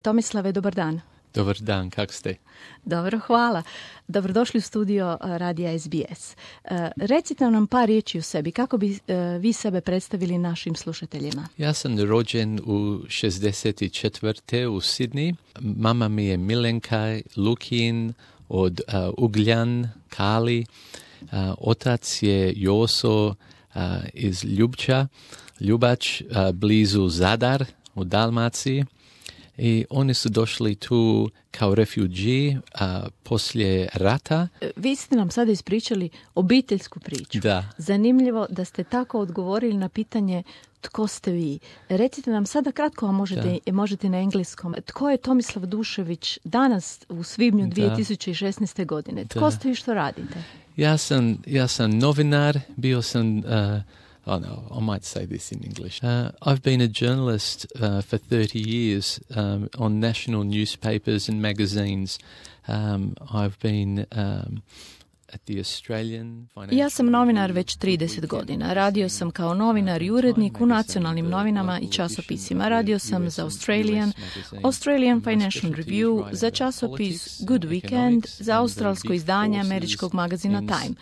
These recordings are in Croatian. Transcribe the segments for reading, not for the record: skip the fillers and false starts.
Tomislave, dobar dan. Dobar dan, kako ste? Dobro, hvala. Dobrodošli u studio radija SBS. Recite nam par riječi o sebi. Kako bi vi sebe predstavili našim slušateljima? Ja sam rođen u 64. u Sidney. Mama mi je Milenka Lukin od Ugljan, Kali. Otac je Joso iz Ljubač, blizu Zadar u Dalmaciji. I oni su došli tu kao refugee poslije rata. Vi ste nam sada ispričali obiteljsku priču. Da. Zanimljivo da ste tako odgovorili na pitanje tko ste vi. Recite nam sada kratko, a možete na engleskom. Tko je Tomislav Dušević danas u svibnju 2016. godine? Tko ste i što radite? Ja sam novinar, bio sam... I might say this in English. I've been a journalist for 30 years on national newspapers and magazines. I've been at the Australian Financial... Ja sam novinar već 30 godina. Radio sam kao novinar i urednik u nacionalnim novinama i časopisima. Radio sam za Australian Financial Review, za časopis Good Weekend, za australsko izdanje američkog magazina Time.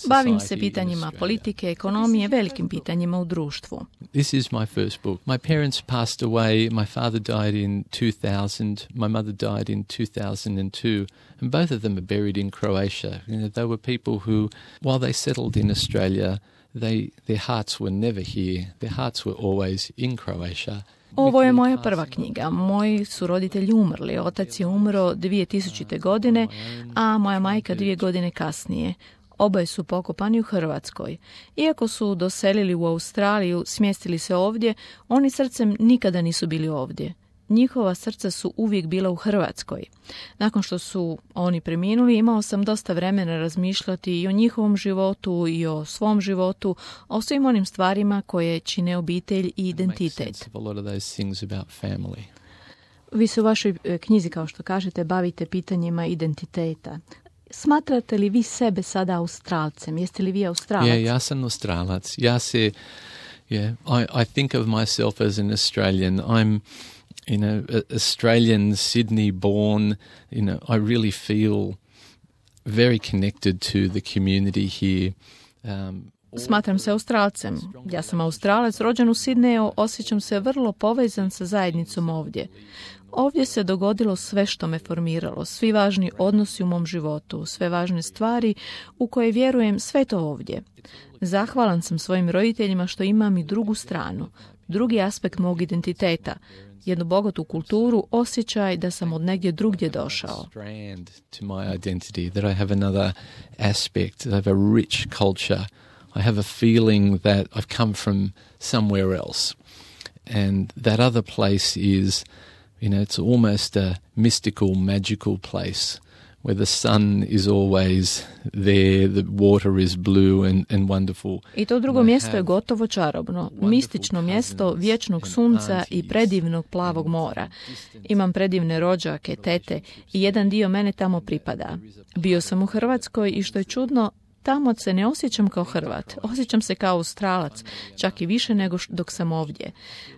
Bavim se pitanjima politike, ekonomije, velikim pitanjima u društvu. This is my first book. My parents passed away. My father died in 2000. My mother died in 2002. And both of them are buried in Croatia. You know, they were people who, while they settled in Australia, their hearts were never here. Their hearts were always in Croatia. Ovo je moja prva knjiga. Moji su roditelji umrli. Otac je umro 2000. godine, a moja majka 2 godine kasnije. Oboje su pokopani u Hrvatskoj. Iako su doselili u Australiju, smjestili se ovdje, oni srcem nikada nisu bili ovdje. Njihova srca su uvijek bila u Hrvatskoj. Nakon što su oni preminuli, imao sam dosta vremena razmišljati i o njihovom životu i o svom životu, o svim onim stvarima koje čine obitelj i identitet. Vi se u vašoj knjizi, kao što kažete, bavite pitanjima identiteta. Smatrate li vi sebe sada Australcem? Jeste li vi Australac? Ja sam Australac. I think of myself as an Australian. I'm Australian, Sydney born. I really feel very connected to the community here. Smatram se Australcem. Ja sam Australac, rođen u Sidneju, osjećam se vrlo povezan sa zajednicom ovdje. Ovdje se dogodilo sve što me formiralo, svi važni odnosi u mom životu, sve važne stvari u koje vjerujem, sve to ovdje. Zahvalan sam svojim roditeljima što imam i drugu stranu, drugi aspekt mog identiteta, jednu bogatu kulturu, osjećaj da sam od negdje drugdje došao. I have a feeling that I've come from somewhere else. And that other place is, it's almost a mystical, magical place where the sun is always there, the water is blue and wonderful. I to drugo mjesto je gotovo čarobno, mistično mjesto vječnog sunca i predivnog plavog mora. Imam predivne rođake, tete i jedan dio mene tamo pripada. Bio sam u Hrvatskoj i što je čudno, tamo se ne osjećam kao Hrvat, osjećam se kao Australac, čak i više nego dok sam ovdje.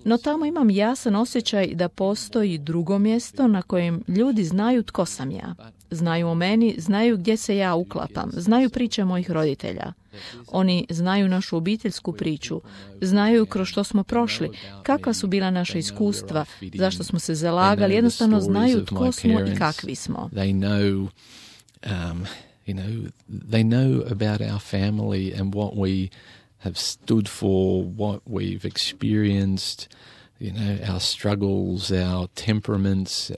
No tamo imam jasan osjećaj da postoji drugo mjesto na kojem ljudi znaju tko sam ja. Znaju o meni, znaju gdje se ja uklapam, znaju priče mojih roditelja. Oni znaju našu obiteljsku priču, znaju kroz što smo prošli, kakva su bila naša iskustva, zašto smo se zalagali, jednostavno znaju tko smo i kakvi smo. They know about our family and what we have stood for, what we've experienced, our struggles, our temperaments,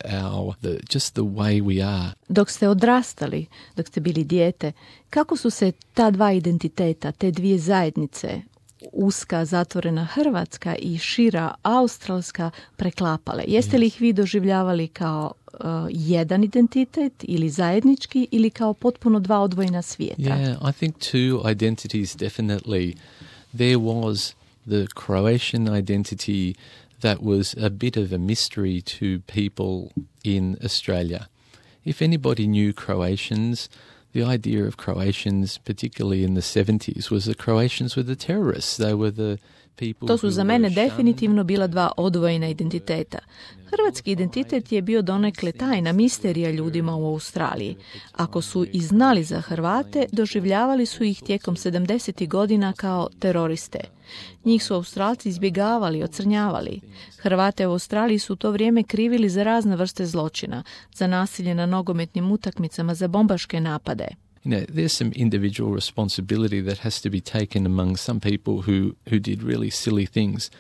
just the way we are. Dok ste odrastali, dok ste bili dijete, kako su se ta dva identiteta, te dvije zajednice, uska, zatvorena Hrvatska i šira australska, preklapale? Jeste li ih vi doživljavali kao jedan identitet ili zajednički ili kao potpuno dva odvojena svijeta? Yeah, I think two identities definitely. There was the Croatian identity that was a bit of a mystery to people in Australia. If anybody knew Croatians, the idea of Croatians, particularly in the 70s, was that Croatians were the terrorists. They were the To su za mene definitivno bila dva odvojena identiteta. Hrvatski identitet je bio donekle tajna misterija ljudima u Australiji. Ako su i znali za Hrvate, doživljavali su ih tijekom 70. godina kao teroriste. Njih su Australci izbjegavali, ocrnjavali. Hrvate u Australiji su u to vrijeme krivili za razne vrste zločina, za nasilje na nogometnim utakmicama, za bombaške napade. You know, there's some individual responsibility that has to be taken among some people who did really silly things.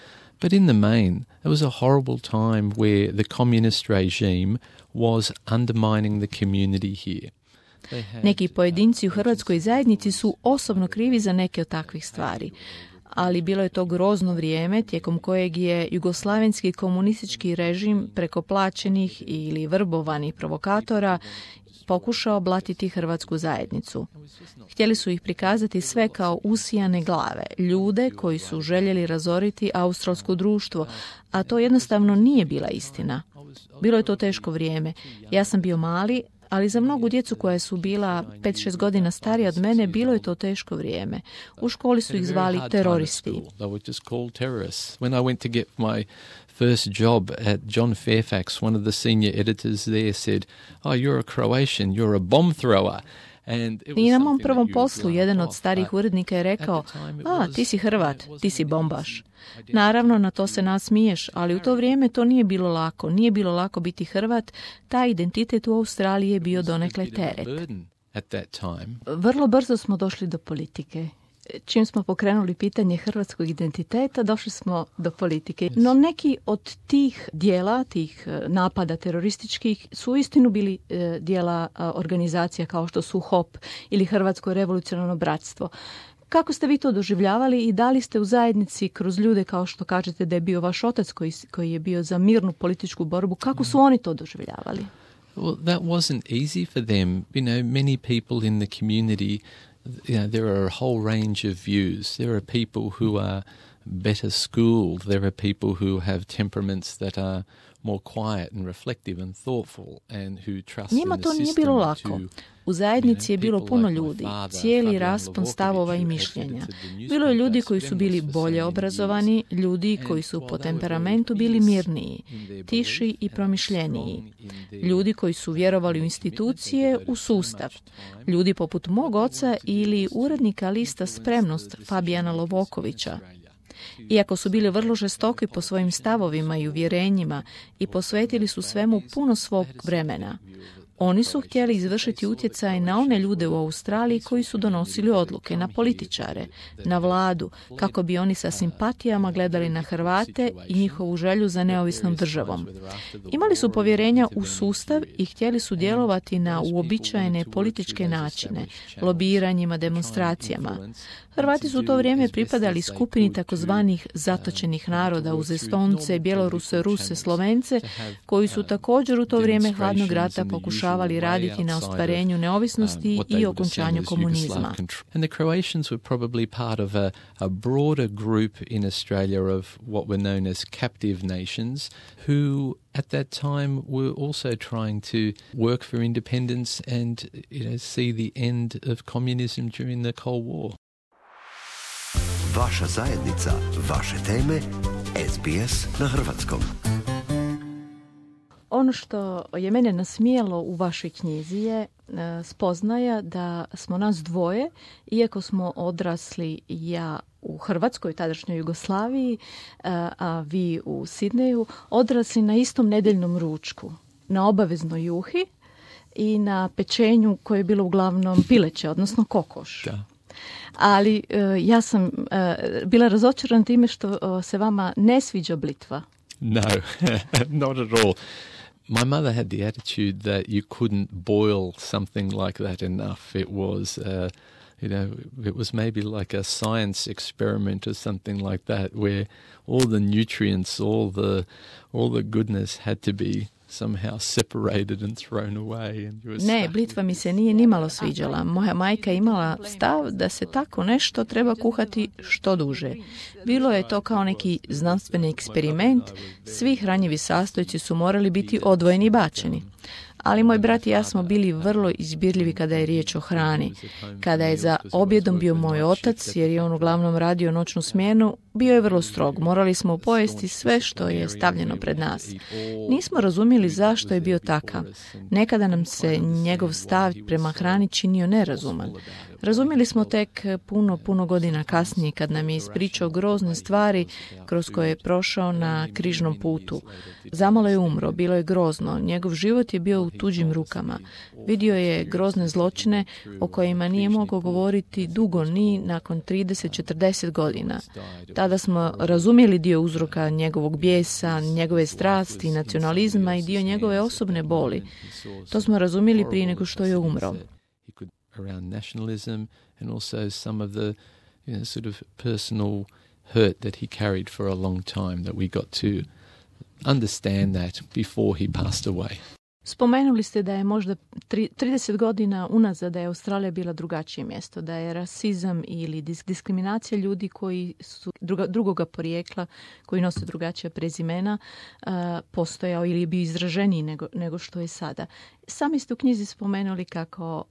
But in the main, it was a horrible time where the communist regime was undermining the community here. Neki pojedinci u hrvatskoj zajednici su osobno krivi za neke od takvih stvari. Ali bilo je to grozno vrijeme tijekom kojeg je jugoslavenski komunistički režim preko plaćenih ili vrbovanih provokatora pokušao blatiti hrvatsku zajednicu. Htjeli su ih prikazati sve kao usijane glave, ljude koji su željeli razoriti australsko društvo, a to jednostavno nije bila istina. Bilo je to teško vrijeme. Ja sam bio mali, ali za mnogu djecu koja su bila 5-6 godina starija od mene, bilo je to teško vrijeme. U školi su ih zvali teroristi. When I went to get my first job at John Fairfax, one of the senior editors there said, "Oh, you're a Croatian, you're a bomb thrower." I na mom prvom poslu jedan od starih urednika je rekao, ti si Hrvat, ti si bombaš. Naravno, na to se nasmiješ, ali u to vrijeme to nije bilo lako. Nije bilo lako biti Hrvat, taj identitet u Australiji je bio donekle teret. Vrlo brzo smo došli do politike. Čim smo pokrenuli pitanje hrvatskog identiteta, došli smo do politike. No neki od tih dijela, tih napada terorističkih, su uistinu bili dijela organizacija kao što su HOP ili Hrvatsko revolucionarno bratstvo. Kako ste vi to doživljavali i da li ste u zajednici kroz ljude, kao što kažete da je bio vaš otac koji je bio za mirnu političku borbu, kako su oni to doživljavali? Well, that wasn't easy for them. You know, many people in the community, you know, there are a whole range of views. There are people who are better schooled. There are people who have temperaments that are more quiet and reflective and thoughtful and who trust in the system. Njima to nije bilo lako. U zajednici je bilo puno ljudi, cijeli raspon stavova i mišljenja. Bilo je ljudi koji su bili bolje obrazovani, ljudi koji su po temperamentu bili mirniji, tiši i promišljeniji. Ljudi koji su vjerovali u institucije, u sustav. Ljudi poput mog oca ili urednika lista Spremnost Fabijana Lovokovića. Iako su bili vrlo žestoki po svojim stavovima i uvjerenjima i posvetili su svemu puno svog vremena, oni su htjeli izvršiti utjecaj na one ljude u Australiji koji su donosili odluke, na političare, na vladu, kako bi oni sa simpatijama gledali na Hrvate i njihovu želju za neovisnom državom. Imali su povjerenja u sustav i htjeli su djelovati na uobičajene političke načine, lobiranjima, demonstracijama. Hrvati su u to vrijeme pripadali skupini takozvanih zatočenih naroda uz Estonce, Bjeloruse, Ruse, Slovence, koji su također u to vrijeme hladnog rata pokušavali raditi na ostvarenju neovisnosti i okončanju komunizma. And the Croatians were probably part of a broader group in Australia of what were known as captive nations who at that time were also trying to work for independence and, you know, see the end of communism during the Cold War. Vaša zajednica, vaše teme, SBS na hrvatskom. Ono što je mene nasmijalo u vašoj knjizi je spoznaja da smo nas dvoje, iako smo odrasli, ja u Hrvatskoj, tadašnjoj Jugoslaviji, a vi u Sidneju, odrasli na istom nedeljnom ručku, na obaveznoj juhi i na pečenju koje je bilo uglavnom pileće, odnosno kokoš. Da. Ali ja sam bila razočarana time što se vama ne sviđa blitva. No, not at all. My mother had the attitude that you couldn't boil something like that enough. It was, you know, it was maybe like a science experiment or something like that, where all the nutrients, all the goodness had to be somehow separated and thrown away. And you were ne, blitva mi se nije nimalo sviđala. Moja majka imala stav da se tako nešto treba kuhati što duže. Bilo je to kao neki znanstveni eksperiment. Svi hranjivi sastojci su morali biti odvojeni i bačeni. Ali moj brat i ja smo bili vrlo izbirljivi kada je riječ o hrani. Kada je za objedom bio moj otac, jer je on uglavnom radio noćnu smjenu, bio je vrlo strog. Morali smo pojesti sve što je stavljeno pred nas. Nismo razumjeli zašto je bio takav. Nekada nam se njegov stav prema hrani činio nerazuman. Razumjeli smo tek puno godina kasnije kad nam je ispričao grozne stvari kroz koje je prošao na križnom putu. Zamalo je umro, bilo je grozno, njegov život je bio u tuđim rukama. Vidio je grozne zločine o kojima nije mogao govoriti dugo, ni nakon 30-40 godina. Tada smo razumjeli dio uzroka njegovog bijesa, njegove strasti, nacionalizma i dio njegove osobne boli. To smo razumjeli prije nego što je umro. Around nationalism and also some of the sort of personal hurt that he carried for a long time, that we got to understand that before he passed away. Spomenuli ste da je možda 30 godina unazad da je Australija bila drugačije mjesto, da je rasizam ili diskriminacija ljudi koji su drugoga porijekla, koji nose drugačija prezimena, postojao ili je bio izraženiji nego što je sada. Sami ste u knjizi spomenuli kako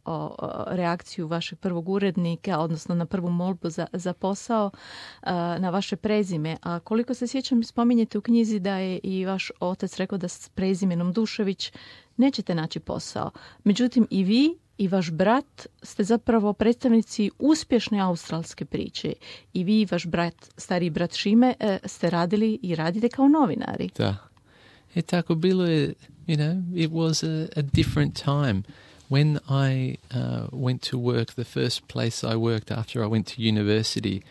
reakciju vašeg prvog urednika, odnosno na prvu molbu za posao, na vaše prezime. A koliko se sjećam, spominjete u knjizi da je i vaš otac rekao da s prezimenom Dušević nećete naći posao. Međutim, i vi i vaš brat ste zapravo predstavnici uspješne australske priče. I vi i vaš brat, stariji brat Šime, ste radili i radite kao novinari. Da. Tako bilo je, it was a different time. When I went to work, the first place I worked after I went to university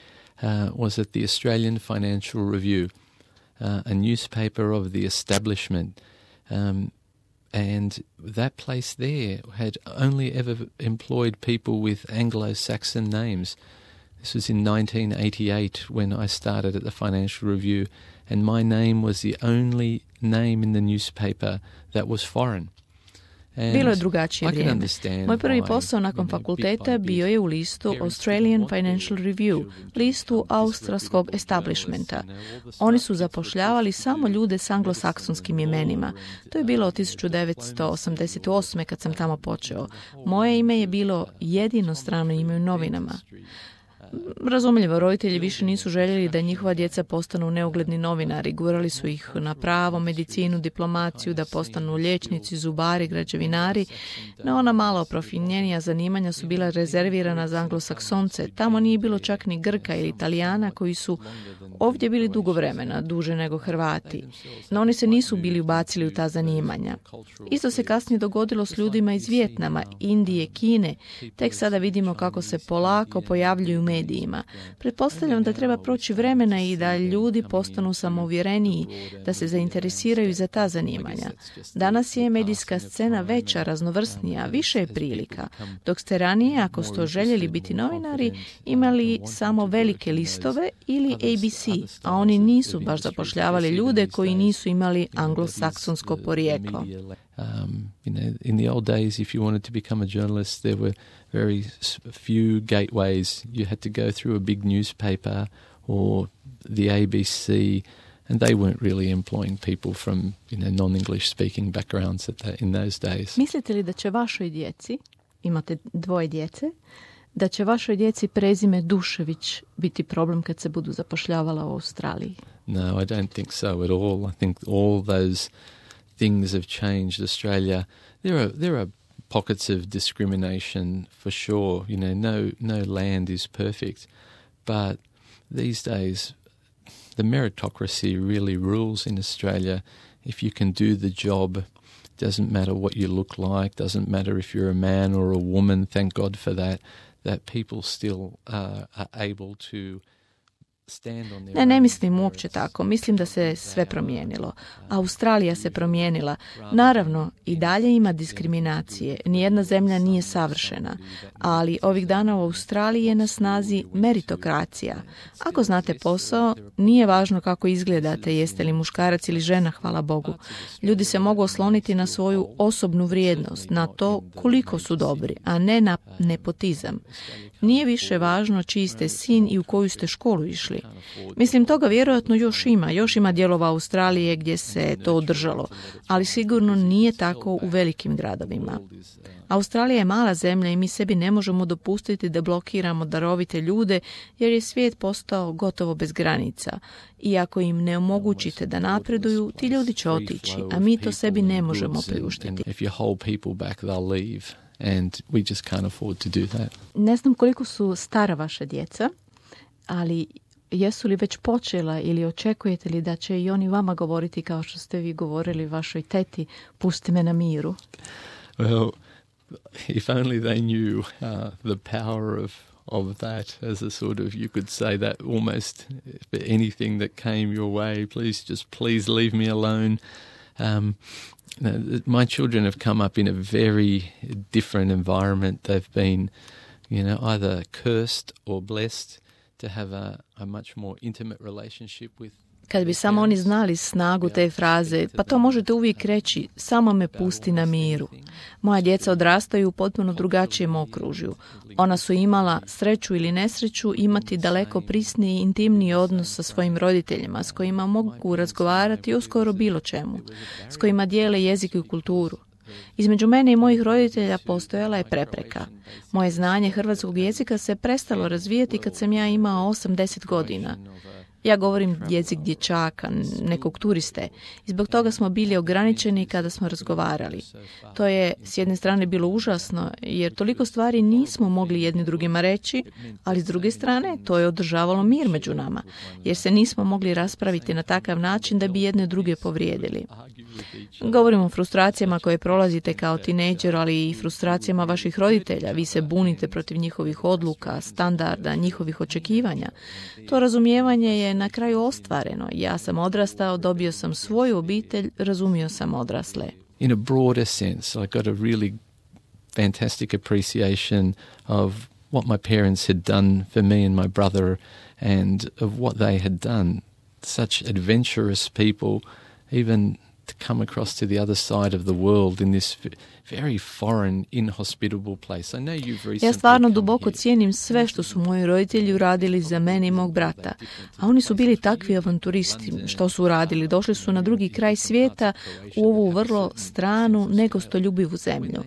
was at the Australian Financial Review, a newspaper of the establishment. And that place there had only ever employed people with Anglo-Saxon names. This was in 1988 when I started at the Financial Review, and my name was the only name in the newspaper that was foreign. Bilo je drugačije vrijeme. Moj prvi posao nakon fakulteta bio je u listu Australian Financial Review, listu australskog establishmenta. Oni su zapošljavali samo ljude s anglosaksonskim imenima. To je bilo od 1988. kad sam tamo počeo. Moje ime je bilo jedino strano ime u novinama. Razumljivo, roditelji više nisu željeli da njihova djeca postanu neugledni novinari. Gurali su ih na pravo, medicinu, diplomaciju, da postanu liječnici, zubari, građevinari. No ona malo profinjenija zanimanja su bila rezervirana za anglosaksonce. Tamo nije bilo čak ni Grka ili Italijana koji su ovdje bili dugo vremena, duže nego Hrvati. No oni se nisu bili ubacili u ta zanimanja. Isto se kasnije dogodilo s ljudima iz Vijetnama, Indije, Kine. Tek sada vidimo kako se polako pojavljuju medijima. Pretpostavljam da treba proći vremena i da ljudi postanu samouvjereniji, da se zainteresiraju za ta zanimanja. Danas je medijska scena veća, raznovrsnija, više je prilika. Dok ste ranije, ako ste željeli biti novinari, imali samo velike listove ili ABC, a oni nisu baš zapošljavali ljude koji nisu imali anglosaksonsko porijeklo. In the old days, if you wanted to become a journalist, there were very few gateways. You had to go through a big newspaper or the ABC, and they weren't really employing people from non-English speaking backgrounds in those days. Mislite li da će vašoj djeci, imate 2 djece, da će vašoj djeci prezime Dušević biti problem kad se budu zapošljavala u Australiji? No, I don't think so at all. I think all those things have changed Australia. There are pockets of discrimination for sure. No land is perfect, but these days the meritocracy really rules in Australia. If you can do the job, doesn't matter what you look like, doesn't matter if you're a man or a woman, thank God for that people still are able to. Ne mislim uopće tako. Mislim da se sve promijenilo. Australija se promijenila. Naravno, i dalje ima diskriminacije. Nijedna zemlja nije savršena. Ali ovih dana u Australiji je na snazi meritokracija. Ako znate posao, nije važno kako izgledate, jeste li muškarac ili žena, hvala Bogu. Ljudi se mogu osloniti na svoju osobnu vrijednost, na to koliko su dobri, a ne na nepotizam. Nije više važno čiji ste sin i u koju ste školu išli. mogli. Mislim, toga vjerojatno još ima dijelova Australije gdje se to održalo, ali sigurno nije tako u velikim gradovima. Australija je mala zemlja i mi sebi ne možemo dopustiti da blokiramo darovite ljude jer je svijet postao gotovo bez granica. I ako im ne omogućite da napreduju, ti ljudi će otići, a mi to sebi ne možemo priuštiti. Ne znam koliko su stara vaša djeca, ali jesu li već počela ili očekujete li da će i oni vama govoriti kao što ste vi govorili vašoj teti, pusti me na miru? Well, if only they knew the power of that as a sort of, you could say that almost anything that came your way, please leave me alone. My children have come up in a very different environment. They've been, either cursed or blessed to have a much more intimate relationship with. Kad bi samo oni znali snagu te fraze, pa to možete uvijek reći, samo me pusti na miru. Moja djeca odrastaju u potpuno drugačijem okružju. Ona su imala, sreću ili nesreću, imati daleko prisniji i intimniji odnos sa svojim roditeljima, s kojima mogu razgovarati o skoro bilo čemu, s kojima dijele jezik i kulturu. Između mene i mojih roditelja postojala je prepreka. Moje znanje hrvatskog jezika se prestalo razvijati kad sam ja imao 8-10 godina. Ja govorim jezik dječaka, nekog turiste, i zbog toga smo bili ograničeni kada smo razgovarali. To je s jedne strane bilo užasno, jer toliko stvari nismo mogli jedni drugima reći, ali s druge strane to je održavalo mir među nama, jer se nismo mogli raspraviti na takav način da bi jedne druge povrijedili. Govorimo o frustracijama koje prolazite kao tinejdžer, ali i frustracijama vaših roditelja. Vi se bunite protiv njihovih odluka, standarda, njihovih očekivanja. To razumijevanje je na kraju ostvareno. Ja sam odrastao, dobio sam svoju obitelj, razumio sam odrasle. In a broader sense, I got a really fantastic appreciation of what my parents had done for me and my brother and of what they had done. Such adventurous people, even to come across to the other side of the world in this very foreign, inhospitable place. I know you've recently. Ja stvarno duboko cijenim sve što su moji roditelji uradili za mene i mog brata. A oni su bili takvi avanturisti. Što su uradili? Došli su na drugi kraj svijeta u ovu vrlo stranu, negostoljubivu zemlju.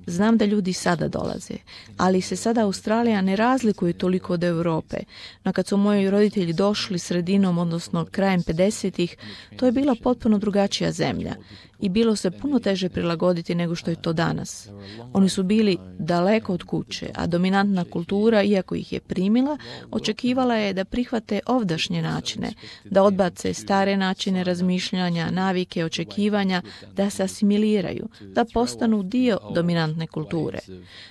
Znam da ljudi sada dolaze, ali se sada Australija ne razlikuje toliko od Europe. No kad su moji roditelji došli sredinom, odnosno krajem 50-ih, to je bila potpuno drugačija zemlja i bilo se puno teže prilagoditi nego što je to danas. Oni su bili daleko od kuće, a dominantna kultura, iako ih je primila, očekivala je da prihvate ovdašnje načine, da odbace stare načine razmišljanja, navike, očekivanja, da se asimiliraju, da postanu dio dominantne kulture.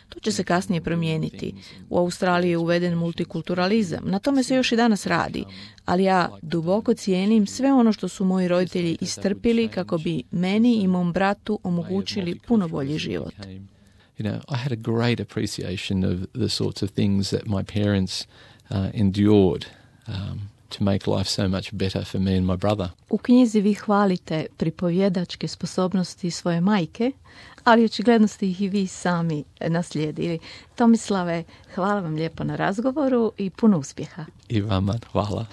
To će se kasnije promijeniti. U Australiji je uveden multikulturalizam. Na tome se još i danas radi. Ali ja duboko cijenim sve ono što su moji roditelji istrpili kako bi meni i mom bratu omogućili puno bolji život. I had a great appreciation of the sorts of things that my parents endured to make life so much better for me and my brother. U knjizi vi hvalite pripovjedačke sposobnosti svoje majke, ali očigledno ste ih i vi sami naslijedili. Tomislave, hvala vam lijepo na razgovoru i puno uspjeha. I vama hvala.